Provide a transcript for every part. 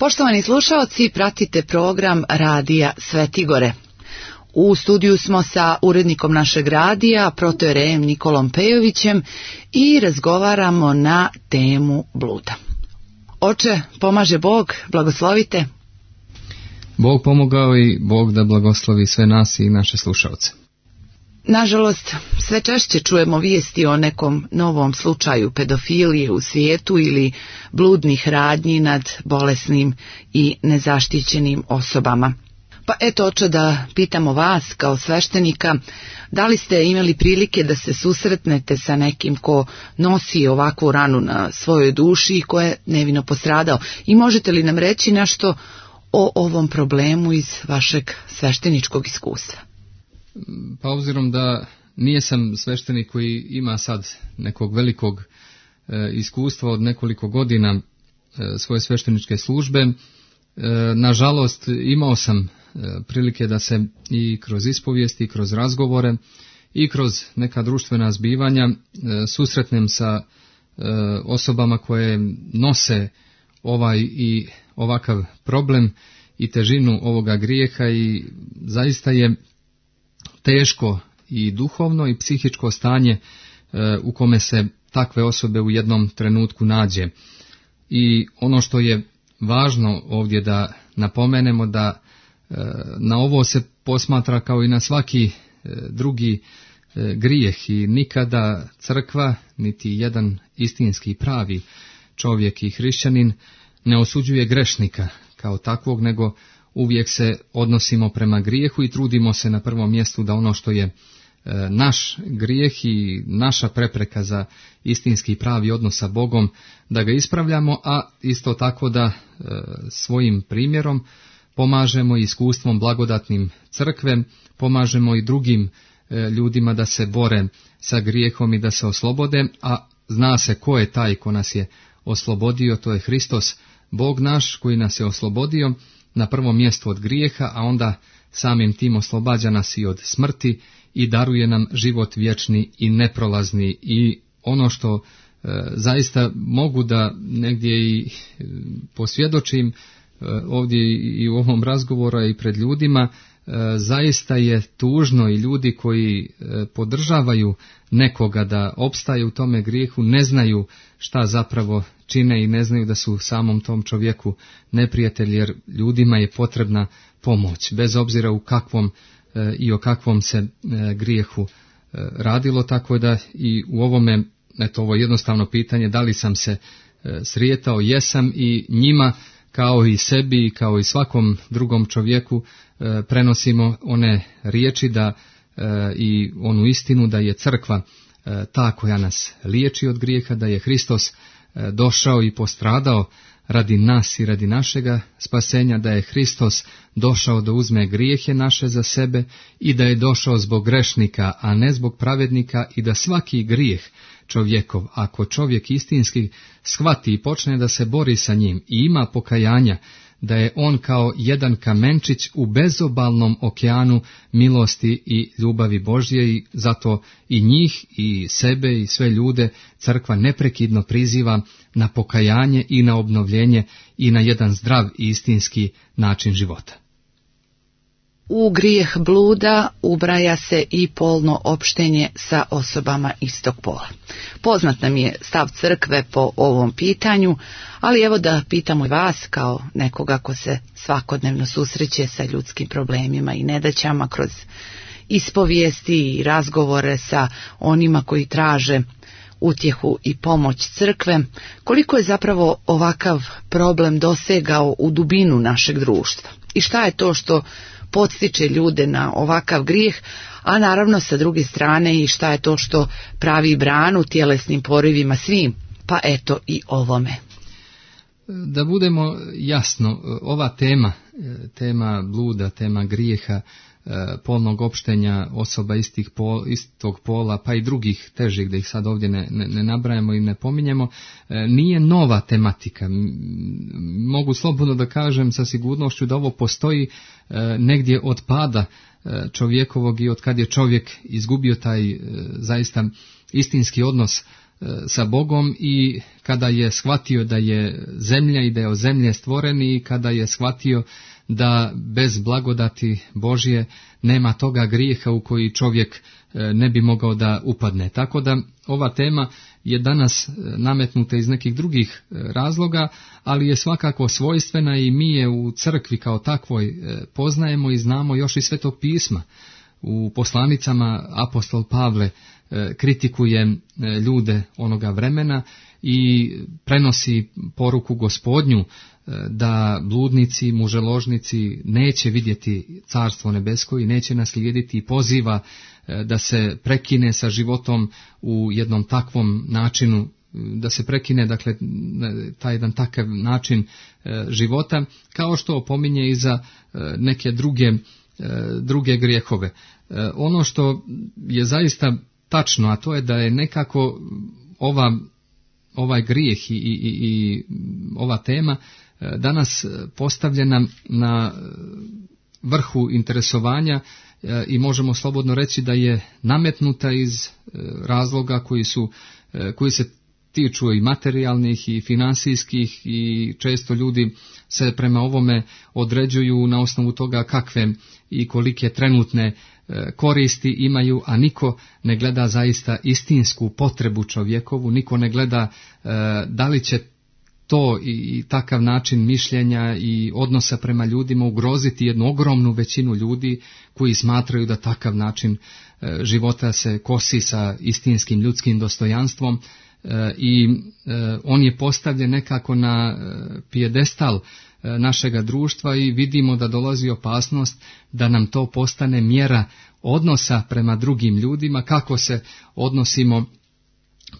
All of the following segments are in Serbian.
Poštovani slušaoci, pratite program Radija Svetigore. U studiju smo sa urednikom našeg radija, protojerejem Nikolom Pejovićem, i razgovaramo na temu bluda. Oče, pomaže Bog, blagoslovite. Bog pomogao i Bog da blagoslovi sve nas i naše slušaoce. Nažalost, sve češće čujemo vijesti o nekom novom slučaju pedofilije u svijetu ili bludnih radnji nad bolesnim i nezaštićenim osobama. Pa eto, oče, da pitamo vas kao sveštenika, da li ste imali prilike da se susretnete sa nekim ko nosi ovakvu ranu na svojoj duši i ko je nevino postradao? I možete li nam reći nešto o ovom problemu iz vašeg svešteničkog iskustva? Pa obzirom da nijesam sveštenik koji ima sad nekog velikog iskustva od nekoliko godina svoje svešteničke službe, nažalost imao sam prilike da se i kroz ispovijesti, i kroz razgovore, i kroz neka društvena zbivanja susretnem sa osobama koje nose ovaj i ovakav problem i težinu ovoga grijeha, i zaista je teško i duhovno i psihičko stanje u kome se takve osobe u jednom trenutku nađe. I ono što je važno ovdje da napomenemo, da na ovo se posmatra kao i na svaki drugi grijeh, i nikada crkva, niti jedan istinski pravi čovjek i hrišćanin ne osuđuje grešnika kao takvog, nego uvijek se odnosimo prema grijehu i trudimo se na prvom mjestu da ono što je naš grijeh i naša prepreka za istinski pravi odnos sa Bogom, da ga ispravljamo, a isto tako da svojim primjerom pomažemo iskustvom blagodatnim crkve, pomažemo i drugim ljudima da se bore sa grijehom i da se oslobode, a zna se ko je taj ko nas je oslobodio, to je Hristos, Bog naš koji nas je oslobodio na prvom mjestu od grijeha, a onda samim tim oslobađa nas i od smrti i daruje nam život vječni i neprolazni. I ono što zaista mogu da negdje i posvjedočim ovdje i u ovom razgovoru i pred ljudima, zaista je tužno, i ljudi koji podržavaju nekoga da opstaje u tome grijehu ne znaju šta zapravo čine i ne znaju da su samom tom čovjeku neprijatelji, jer ljudima je potrebna pomoć, bez obzira u kakvom i o kakvom se grijehu radilo. Tako da i u ovome, eto, ovo jednostavno pitanje, da li sam se srijetao, jesam, i njima kao i sebi, kao i svakom drugom čovjeku prenosimo one riječi da i onu istinu da je crkva ta koja nas liječi od grijeha, da je Hristos došao i postradao radi nas i radi našega spasenja, da je Hristos došao da uzme grijehe naše za sebe i da je došao zbog grešnika, a ne zbog pravednika, i da svaki grijeh čovjekov, ako čovjek istinski shvati i počne da se bori sa njim i ima pokajanja, da je on kao jedan kamenčić u bezobalnom okeanu milosti i ljubavi Božje, i zato i njih i sebe i sve ljude crkva neprekidno priziva na pokajanje i na obnovljenje i na jedan zdrav i istinski način života. U grijeh bluda ubraja se i polno opštenje sa osobama istog pola. Poznat nam je stav crkve po ovom pitanju, ali evo da pitamo i vas kao nekoga ko se svakodnevno susreće sa ljudskim problemima i nedaćama kroz ispovijesti i razgovore sa onima koji traže utjehu i pomoć crkve, koliko je zapravo ovakav problem dosegao u dubinu našeg društva i šta je to što podstiče ljude na ovakav grijeh, a naravno sa druge strane i šta je to što pravi branu tjelesnim porivima svim, pa eto i ovome. Da budemo jasno, ova tema bluda, tema grijeha, polnog opštenja osoba istog pola, pa i drugih težih, da ih sad ovdje ne nabrajamo i ne pominjemo, nije nova tematika. Mogu slobodno da kažem sa sigurnošću da ovo postoji negdje od pada čovjekovog i od kad je čovjek izgubio taj zaista istinski odnos sa Bogom i kada je shvatio da je zemlja i da je od zemlje stvoren i kada je shvatio da bez blagodati Božje nema toga grijeha u koji čovjek ne bi mogao da upadne. Tako da ova tema je danas nametnuta iz nekih drugih razloga, ali je svakako svojstvena i mi je u crkvi kao takvoj poznajemo i znamo još iz Svetog pisma. U poslanicama apostol Pavle kritikuje ljude onoga vremena i prenosi poruku Gospodnju da bludnici, muželožnici neće vidjeti Carstvo nebesko i neće naslijediti i poziva da se prekine sa životom u jednom takvom načinu, da se prekine dakle taj jedan takav način života, kao što opominje i za neke druge grijehove. Ono što je zaista tačno, a to je da je nekako ovaj grijeh i ova tema danas postavljena na vrhu interesovanja i možemo slobodno reći da je nametnuta iz razloga koji se tiču i materijalnih i financijskih i često ljudi se prema ovome određuju na osnovu toga kakve i kolike trenutne koristi imaju, a niko ne gleda zaista istinsku potrebu čovjekovu, niko ne gleda da li će to i takav način mišljenja i odnosa prema ljudima ugroziti jednu ogromnu većinu ljudi koji smatraju da takav način života se kosi sa istinskim ljudskim dostojanstvom i on je postavljen nekako na pijedestal našega društva i vidimo da dolazi opasnost da nam to postane mjera odnosa prema drugim ljudima, kako se odnosimo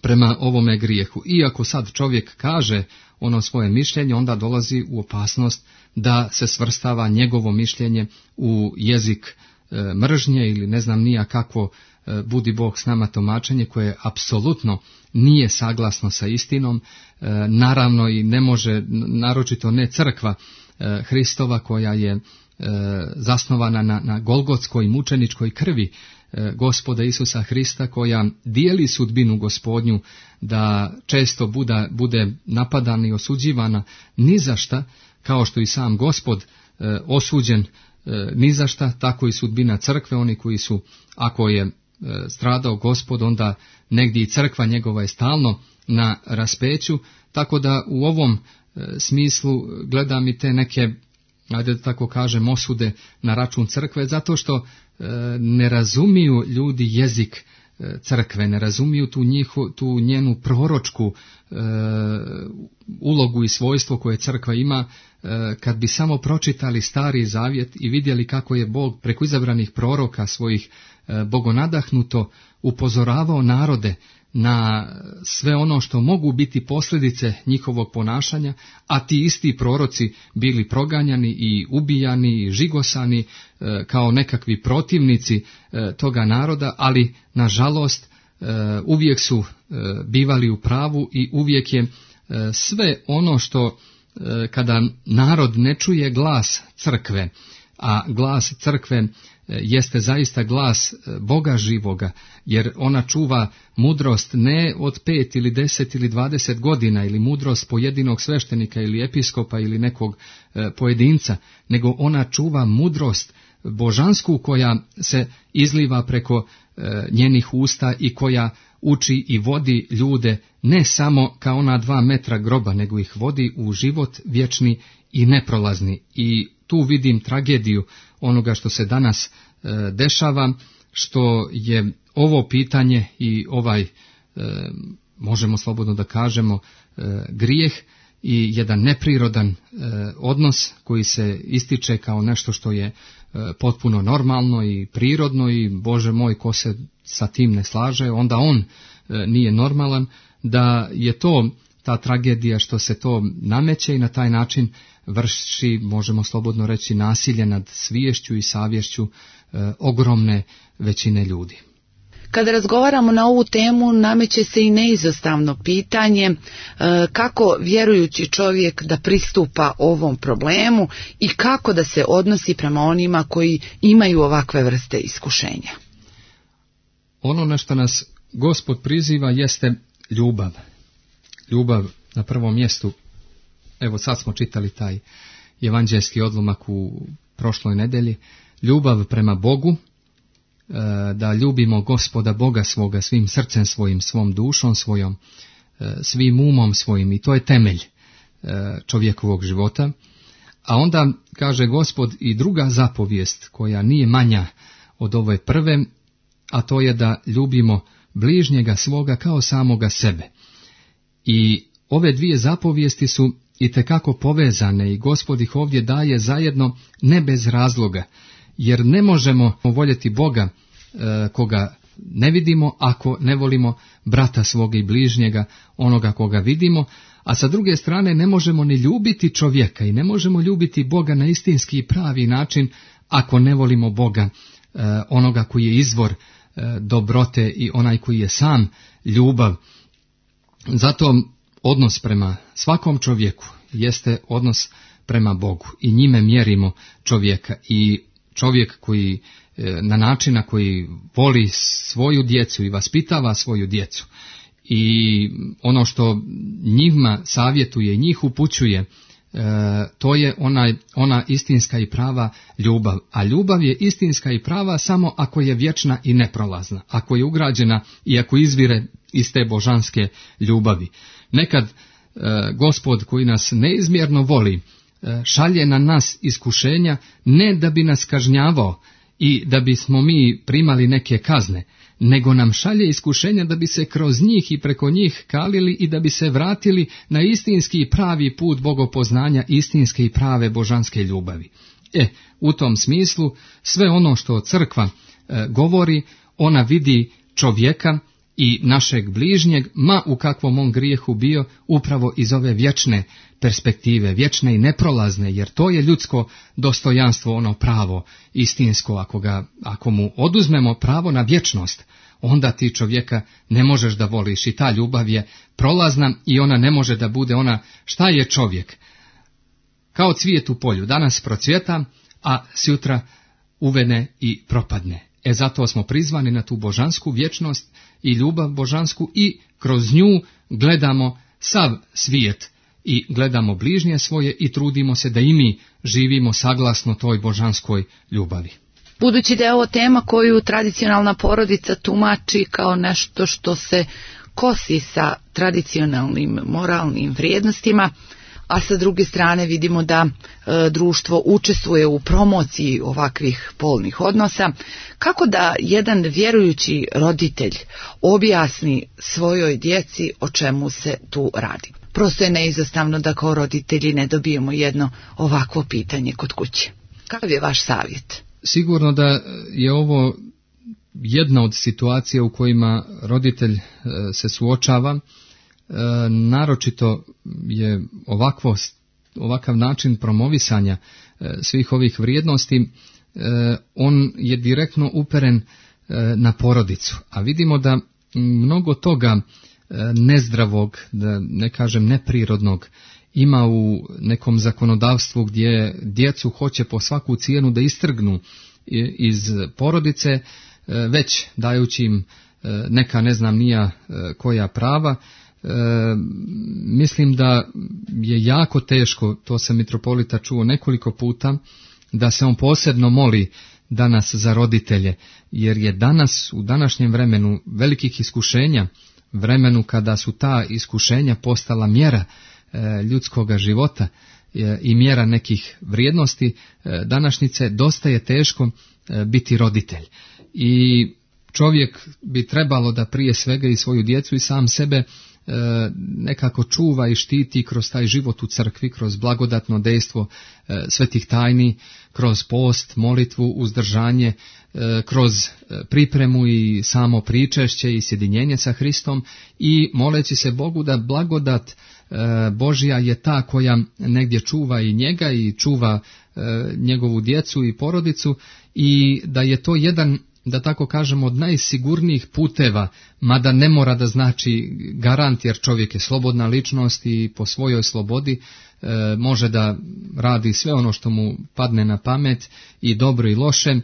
prema ovome grijehu. Iako sad čovjek kaže ono svoje mišljenje, onda dolazi u opasnost da se svrstava njegovo mišljenje u jezik mržnje ili ne znam nija kakvo budi Bog s nama tumačenje koje apsolutno nije saglasno sa istinom, naravno i ne može, naročito ne crkva Hristova koja je zasnovana na golgotskoj mučeničkoj krvi Gospoda Isusa Hrista, koja dijeli sudbinu Gospodnju da često bude napadana i osuđivana ni za šta, kao što i sam Gospod osuđen ni za šta, tako i sudbina crkve, oni koji su, ako je stradao Gospod, onda negdje i crkva njegova je stalno na raspeću, tako da u ovom smislu gledam i te neke, ajde da tako kažem, osude na račun crkve, zato što ne razumiju ljudi jezik crkve, ne razumiju tu njenu proročku ulogu i svojstvo koje crkva ima. Kad bi samo pročitali Stari Zavjet i vidjeli kako je Bog preko izabranih proroka svojih bogonadahnuto upozoravao narode na sve ono što mogu biti posljedice njihovog ponašanja, a ti isti proroci bili proganjani i ubijani i žigosani kao nekakvi protivnici toga naroda, ali nažalost uvijek su bivali u pravu i uvijek je sve ono što kada narod ne čuje glas crkve, a glas crkve jeste zaista glas Boga živoga, jer ona čuva mudrost ne od 5 ili 10 ili 20 godina ili mudrost pojedinog sveštenika ili episkopa ili nekog pojedinca, nego ona čuva mudrost božansku koja se izliva preko njenih usta i koja uči i vodi ljude ne samo kao ona 2 metra groba, nego ih vodi u život vječni i neprolazni. I tu vidim tragediju onoga što se danas dešava, što je ovo pitanje i ovaj, možemo slobodno da kažemo, grijeh i jedan neprirodan odnos koji se ističe kao nešto što je potpuno normalno i prirodno i Bože moj, ko se sa tim ne slaže, onda on nije normalan, da je to ta tragedija što se to nameće i na taj način vrši, možemo slobodno reći, nasilje nad sviješću i savješću ogromne većine ljudi. Kada razgovaramo na ovu temu, nameće se i neizostavno pitanje kako vjerujući čovjek da pristupa ovom problemu i kako da se odnosi prema onima koji imaju ovakve vrste iskušenja. Ono na što nas Gospod priziva jeste Ljubav na prvom mjestu. Evo sad smo čitali taj evanđelski odlomak u prošloj nedelji. Ljubav prema Bogu, da ljubimo Gospoda Boga svoga svim srcem svojim, svom dušom svojom, svim umom svojim, i to je temelj čovjekovog života. A onda kaže Gospod i druga zapovijest koja nije manja od ove prve, a to je da ljubimo bližnjega svoga kao samoga sebe. I ove dvije zapovijesti su itekako povezane i Gospod ih ovdje daje zajedno ne bez razloga, jer ne možemo voljeti Boga koga ne vidimo ako ne volimo brata svoga i bližnjega, onoga koga vidimo, a sa druge strane ne možemo ni ljubiti čovjeka i ne možemo ljubiti Boga na istinski i pravi način ako ne volimo Boga, onoga koji je izvor dobrote i onaj koji je sam ljubav. Zato odnos prema svakom čovjeku jeste odnos prema Bogu i njime mjerimo čovjeka. I čovjek koji na način na koji voli svoju djecu i vaspitava svoju djecu i ono što njima savjetuje i njih upućuje, to je ona istinska i prava ljubav. A ljubav je istinska i prava samo ako je vječna i neprolazna, ako je ugrađena i ako izvire iz te božanske ljubavi. Nekad Gospod koji nas neizmjerno voli šalje na nas iskušenja ne da bi nas kažnjavao i da bismo mi primali neke kazne, nego nam šalje iskušenja da bi se kroz njih i preko njih kalili i da bi se vratili na istinski i pravi put bogopoznanja, istinske i prave božanske ljubavi. U tom smislu sve ono što crkva govori, ona vidi čovjeka i našeg bližnjeg, ma u kakvom on grijehu bio, upravo iz ove vječne perspektive, vječne i neprolazne, jer to je ljudsko dostojanstvo, ono pravo, istinsko. Ako mu oduzmemo pravo na vječnost, onda ti čovjeka ne možeš da voliš i ta ljubav je prolazna i ona ne može da bude ona. Šta je čovjek? Kao cvijet u polju, danas procvjeta, a sutra uvene i propadne. Zato smo prizvani na tu božansku vječnost i ljubav božansku i kroz nju gledamo sav svijet i gledamo bližnje svoje i trudimo se da i mi živimo saglasno toj božanskoj ljubavi. Budući da je ovo tema koju tradicionalna porodica tumači kao nešto što se kosi sa tradicionalnim moralnim vrijednostima, a sa druge strane vidimo da društvo učestvuje u promociji ovakvih polnih odnosa, kako da jedan vjerujući roditelj objasni svojoj djeci o čemu se tu radi? Prosto je neizostavno da kao roditelji ne dobijemo jedno ovakvo pitanje kod kuće. Kakav je vaš savjet? Sigurno da je ovo jedna od situacija u kojima roditelj se suočava. Naročito je ovakav način promovisanja svih ovih vrijednosti, on je direktno uperen na porodicu. A vidimo da mnogo toga nezdravog, da ne kažem neprirodnog, ima u nekom zakonodavstvu gdje djecu hoće po svaku cijenu da istrgnu iz porodice, već dajući im neka ne znam nija koja prava. Mislim da je jako teško, to sam mitropolita čuo nekoliko puta, da se on posebno moli danas za roditelje, jer je danas u današnjem vremenu velikih iskušenja, vremenu kada su ta iskušenja postala mjera ljudskoga života i mjera nekih vrijednosti današnjice, dosta je teško biti roditelj. I čovjek bi trebalo da prije svega i svoju djecu i sam sebe nekako čuva i štiti kroz taj život u crkvi, kroz blagodatno dejstvo svetih tajni, kroz post, molitvu, uzdržanje, kroz pripremu i samo pričešće i sjedinjenje sa Hristom i moleći se Bogu da blagodat Božja je ta koja negdje čuva i njega i čuva njegovu djecu i porodicu i da je to jedan, da tako kažemo, od najsigurnijih puteva, mada ne mora da znači garant, jer čovjek je slobodna ličnost i po svojoj slobodi može da radi sve ono što mu padne na pamet, i dobro i loše,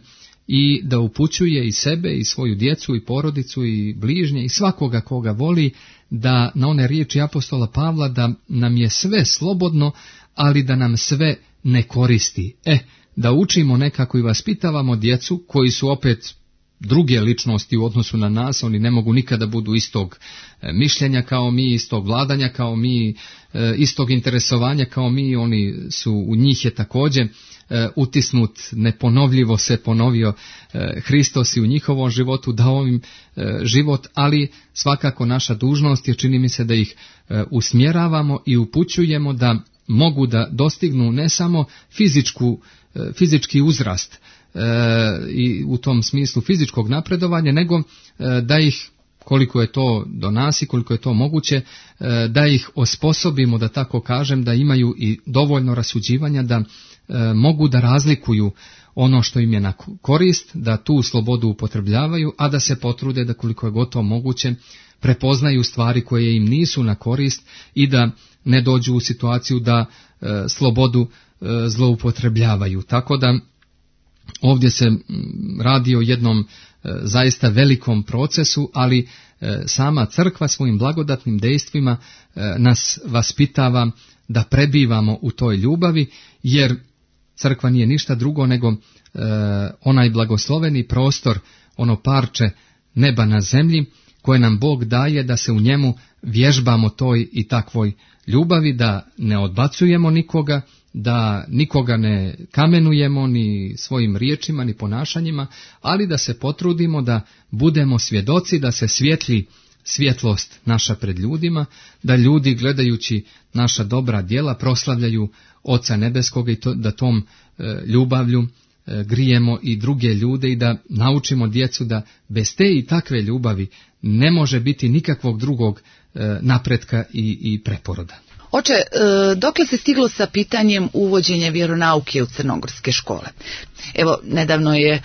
i da upućuje i sebe i svoju djecu i porodicu i bližnje i svakoga koga voli da na one riječi apostola Pavla da nam je sve slobodno, ali da nam sve ne koristi. Da učimo nekako i vaspitavamo djecu koji su opet druge ličnosti u odnosu na nas, oni ne mogu nikada budu istog mišljenja kao mi, istog vladanja kao mi, istog interesovanja kao mi, oni su, u njih je također utisnut, neponovljivo se ponovio Hristos i u njihovom životu dao im život, ali svakako naša dužnost je, čini mi se, da ih usmjeravamo i upućujemo da mogu da dostignu ne samo fizički uzrast i u tom smislu fizičkog napredovanja, nego da ih, koliko je to do nas i koliko je to moguće, da ih osposobimo, da tako kažem, da imaju i dovoljno rasuđivanja, da mogu da razlikuju ono što im je na korist, da tu slobodu upotrebljavaju, a da se potrude da koliko je gotovo moguće prepoznaju stvari koje im nisu na korist i da ne dođu u situaciju da slobodu zloupotrebljavaju. Tako da ovdje se radi o jednom zaista velikom procesu, ali sama crkva svojim blagodatnim dejstvima nas vaspitava da prebivamo u toj ljubavi, jer crkva nije ništa drugo nego onaj blagosloveni prostor, ono parče neba na zemlji koje nam Bog daje da se u njemu vježbamo toj i takvoj ljubavi, da ne odbacujemo nikoga, da nikoga ne kamenujemo ni svojim riječima ni ponašanjima, ali da se potrudimo da budemo svjedoci, da se svijetli svjetlost naša pred ljudima, da ljudi gledajući naša dobra djela proslavljaju Oca Nebeskoga i da tom ljubavlju grijemo i druge ljude i da naučimo djecu da bez te i takve ljubavi ne može biti nikakvog drugog napretka i preporoda. Oče, dokle se stiglo sa pitanjem uvođenja vjeronauke u crnogorske škole? Evo, nedavno je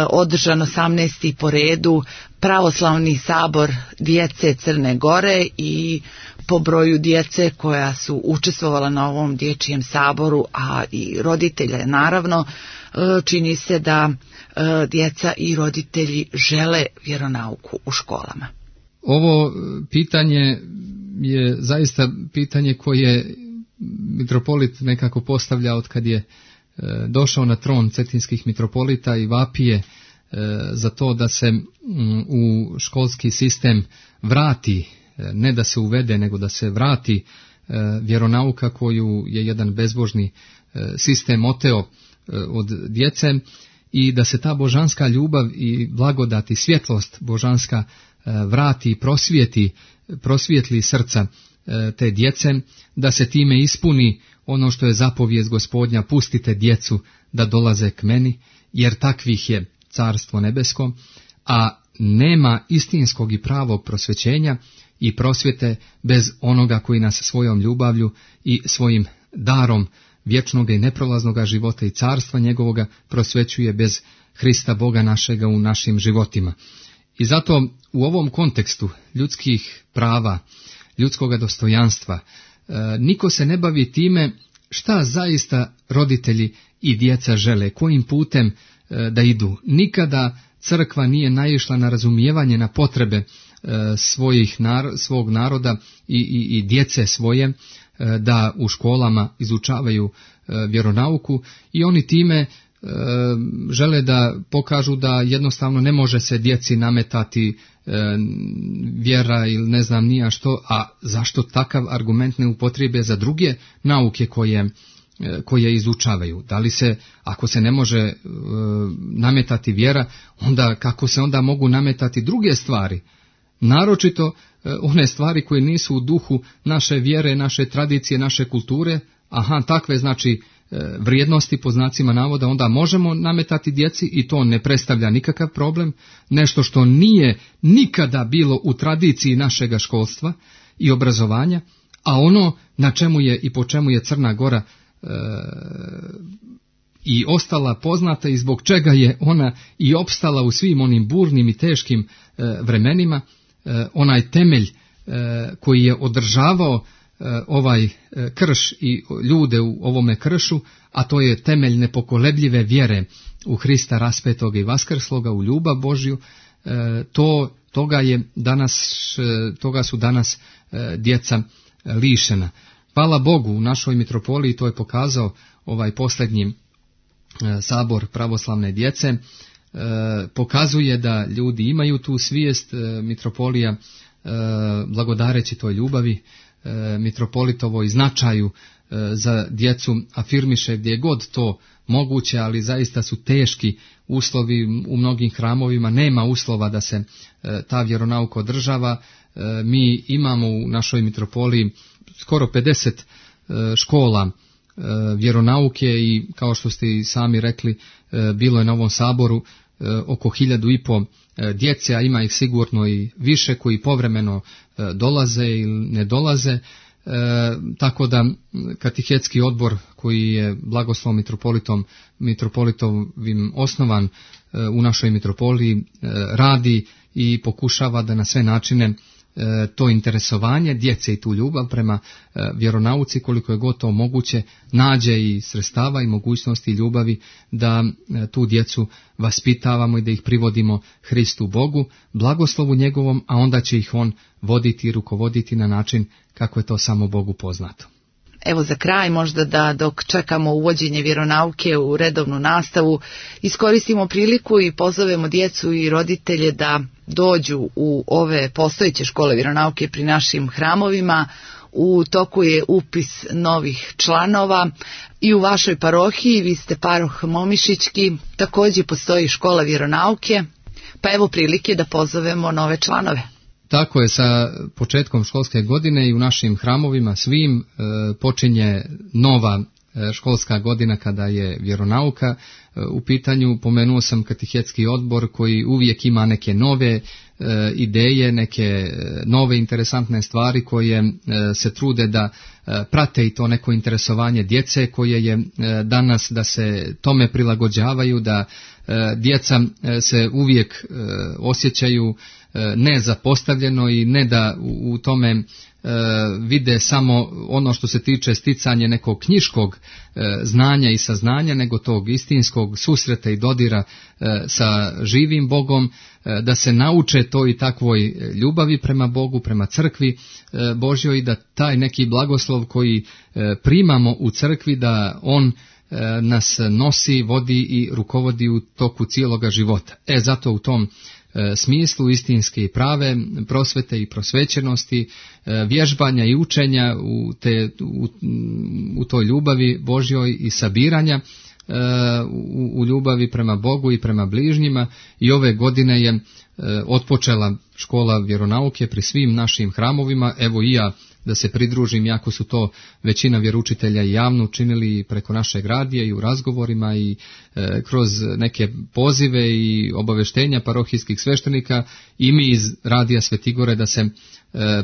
održan 18. po redu pravoslavni sabor djece Crne Gore i po broju djece koja su učestvovala na ovom dječjem saboru, a i roditelja naravno, čini se da djeca i roditelji žele vjeronauku u školama. Ovo pitanje je zaista pitanje koje mitropolit nekako postavlja od kad je došao na tron cetinskih mitropolita i vapije za to da se u školski sistem vrati, ne da se uvede, nego da se vrati vjeronauka koju je jedan bezbožni sistem oteo od djece i da se ta božanska ljubav i blagodat i svjetlost božanska vrati i prosvijetli srca te djece, da se time ispuni ono što je zapovijest Gospodnja: pustite djecu da dolaze k meni, jer takvih je carstvo nebesko, a nema istinskog i pravog prosvećenja i prosvjete bez onoga koji nas svojom ljubavlju i svojim darom vječnog i neprolaznog života i carstva njegovoga prosvećuje bez Hrista Boga našega u našim životima. I zato u ovom kontekstu ljudskih prava, ljudskoga dostojanstva, niko se ne bavi time šta zaista roditelji i djeca žele, kojim putem da idu. Nikada crkva nije naišla na razumijevanje, na potrebe svog naroda i djece svoje, da u školama izučavaju vjeronauku, i oni time žele da pokažu da jednostavno ne može se djeci nametati vjera ili ne znam nija što, a zašto takav argument ne upotrijebe za druge nauke koje izučavaju? Da li se, ako se ne može nametati vjera, onda kako se onda mogu nametati druge stvari? Naročito one stvari koje nisu u duhu naše vjere, naše tradicije, naše kulture. Takve znači vrijednosti po znacima navoda onda možemo nametati djeci i to ne predstavlja nikakav problem. Nešto što nije nikada bilo u tradiciji našega školstva i obrazovanja, a ono na čemu je i po čemu je Crna Gora i ostala poznata i zbog čega je ona i opstala u svim onim burnim i teškim vremenima, onaj temelj koji je održavao ovaj krš i ljude u ovome kršu, a to je temelj nepokolebljive vjere u Hrista raspetoga i vaskrsloga, u ljubav Božju, to toga su danas djeca lišena. Hvala Bogu, u našoj mitropoliji to je pokazao ovaj posljednji sabor pravoslavne djece, pokazuje da ljudi imaju tu svijest. Mitropolija, blagodareći toj ljubavi, mitropolitovoj značaju za djecu, afirmiše gdje god to moguće, ali zaista su teški uslovi u mnogim hramovima, nema uslova da se ta vjeronauka održava. Mi imamo u našoj mitropoliji skoro 50 škola vjeronauke i kao što ste i sami rekli, bilo je na ovom saboru oko 1500 djece, a ima ih sigurno i više koji povremeno dolaze ili ne dolaze. Tako da katehetski odbor koji je blagoslovom mitropolitovim osnovan u našoj mitropoliji radi i pokušava da na sve načine to interesovanje djece i tu ljubav prema vjeronauci, koliko je god to moguće, nađe i sredstava i mogućnosti ljubavi da tu djecu vaspitavamo i da ih privodimo Hristu Bogu, blagoslovu njegovom, a onda će ih on voditi i rukovoditi na način kako je to samo Bogu poznato. Evo za kraj možda da dok čekamo uvođenje vjeronauke u redovnu nastavu, iskoristimo priliku i pozovemo djecu i roditelje da dođu u ove postojeće škole vjeronauke pri našim hramovima. U toku je upis novih članova i u vašoj parohiji, vi ste paroh Momišićki, također postoji škola vjeronauke, pa evo prilike da pozovemo nove članove. Tako je, sa početkom školske godine i u našim hramovima svim počinje nova školska godina kada je vjeronauka u pitanju. Pomenuo sam katehetski odbor koji uvijek ima neke nove ideje, neke nove interesantne stvari koje se trude da prate i to neko interesovanje djece koje je danas, da se tome prilagođavaju, da djeca se uvijek osjećaju ne zapostavljeno i ne da u tome vide samo ono što se tiče sticanja nekog knjiškog znanja i saznanja, nego tog istinskog susreta i dodira sa živim Bogom, da se nauče toj i takvoj ljubavi prema Bogu, prema crkvi Božjoj i da taj neki blagoslov koji primamo u crkvi, da on nas nosi, vodi i rukovodi u toku cijeloga života. Zato u tom smislu istinske i prave prosvete i prosvećenosti, vježbanja i učenja u toj ljubavi Božjoj i sabiranja u ljubavi prema Bogu i prema bližnjima. I ove godine je otpočela škola vjeronauke pri svim našim hramovima. Evo i ja da se pridružim, jako su to većina vjeroučitelja i javno učinili preko našeg radija i u razgovorima i kroz neke pozive i obaveštenja parohijskih sveštenika, i mi iz radija Svetigore da se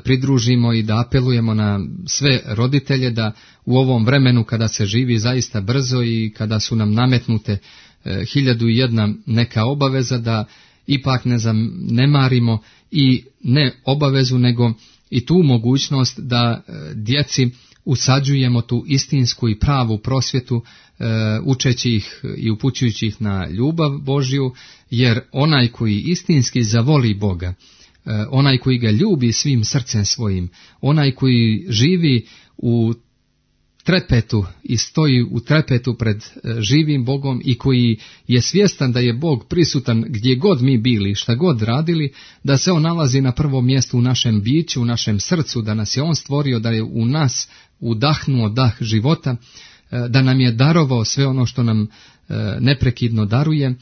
pridružimo i da apelujemo na sve roditelje da u ovom vremenu kada se živi zaista brzo i kada su nam nametnute 1001 neka obaveza, da ipak ne zanemarimo i ne obavezu nego i tu mogućnost da djeci usađujemo tu istinsku i pravu prosvjetu, učeći ih i upućujući ih na ljubav Božju, jer onaj koji istinski zavoli Boga, onaj koji ga ljubi svim srcem svojim, onaj koji živi u trepetu i stoji u trepetu pred živim Bogom i koji je svjestan da je Bog prisutan gdje god mi bili, šta god radili, da se on nalazi na prvom mjestu u našem biću, u našem srcu, da nas je on stvorio, da je u nas udahnuo dah života, da nam je darovao sve ono što nam neprekidno daruje,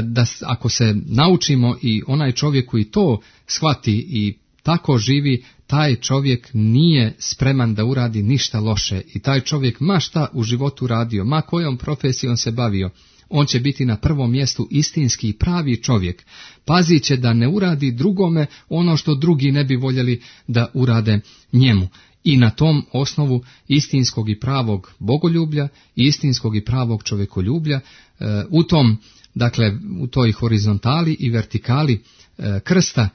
da ako se naučimo i onaj čovjek koji to shvati i tako živi, taj čovjek nije spreman da uradi ništa loše i taj čovjek ma šta u životu radio, ma kojom profesijom se bavio, on će biti na prvom mjestu istinski i pravi čovjek. Pazit će da ne uradi drugome ono što drugi ne bi voljeli da urade njemu. I na tom osnovu istinskog i pravog bogoljublja i istinskog i pravog čovjekoljublja, u toj horizontali i vertikali krsta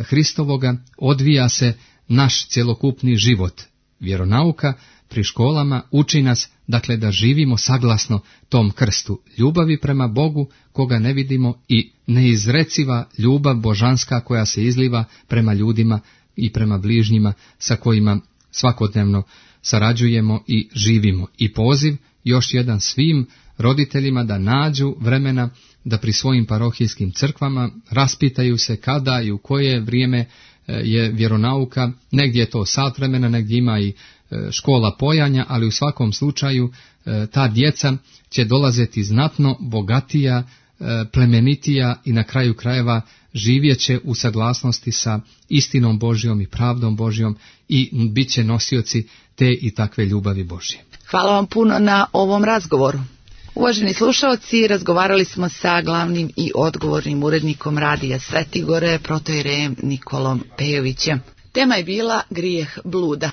Hristovoga odvija se naš cjelokupni život. Vjeronauka pri školama uči nas dakle da živimo saglasno tom krstu ljubavi prema Bogu koga ne vidimo i neizreciva ljubav božanska koja se izliva prema ljudima i prema bližnjima sa kojima svakodnevno sarađujemo i živimo. I poziv još jedan svim roditeljima da nađu vremena da pri svojim parohijskim crkvama raspitaju se kada i u koje vrijeme je vjeronauka, negdje je to sat vremena, negdje ima i škola pojanja, ali u svakom slučaju ta djeca će dolaziti znatno bogatija, plemenitija i na kraju krajeva živjet će u saglasnosti sa istinom Božjom i pravdom Božjom i bit će nosioci te i takve ljubavi Božje. Hvala vam puno na ovom razgovoru. Uvaženi slušalci, razgovarali smo sa glavnim i odgovornim urednikom Radija Svetigore, protoijerejem Nikolom Pejovićem. Tema je bila grijeh bluda.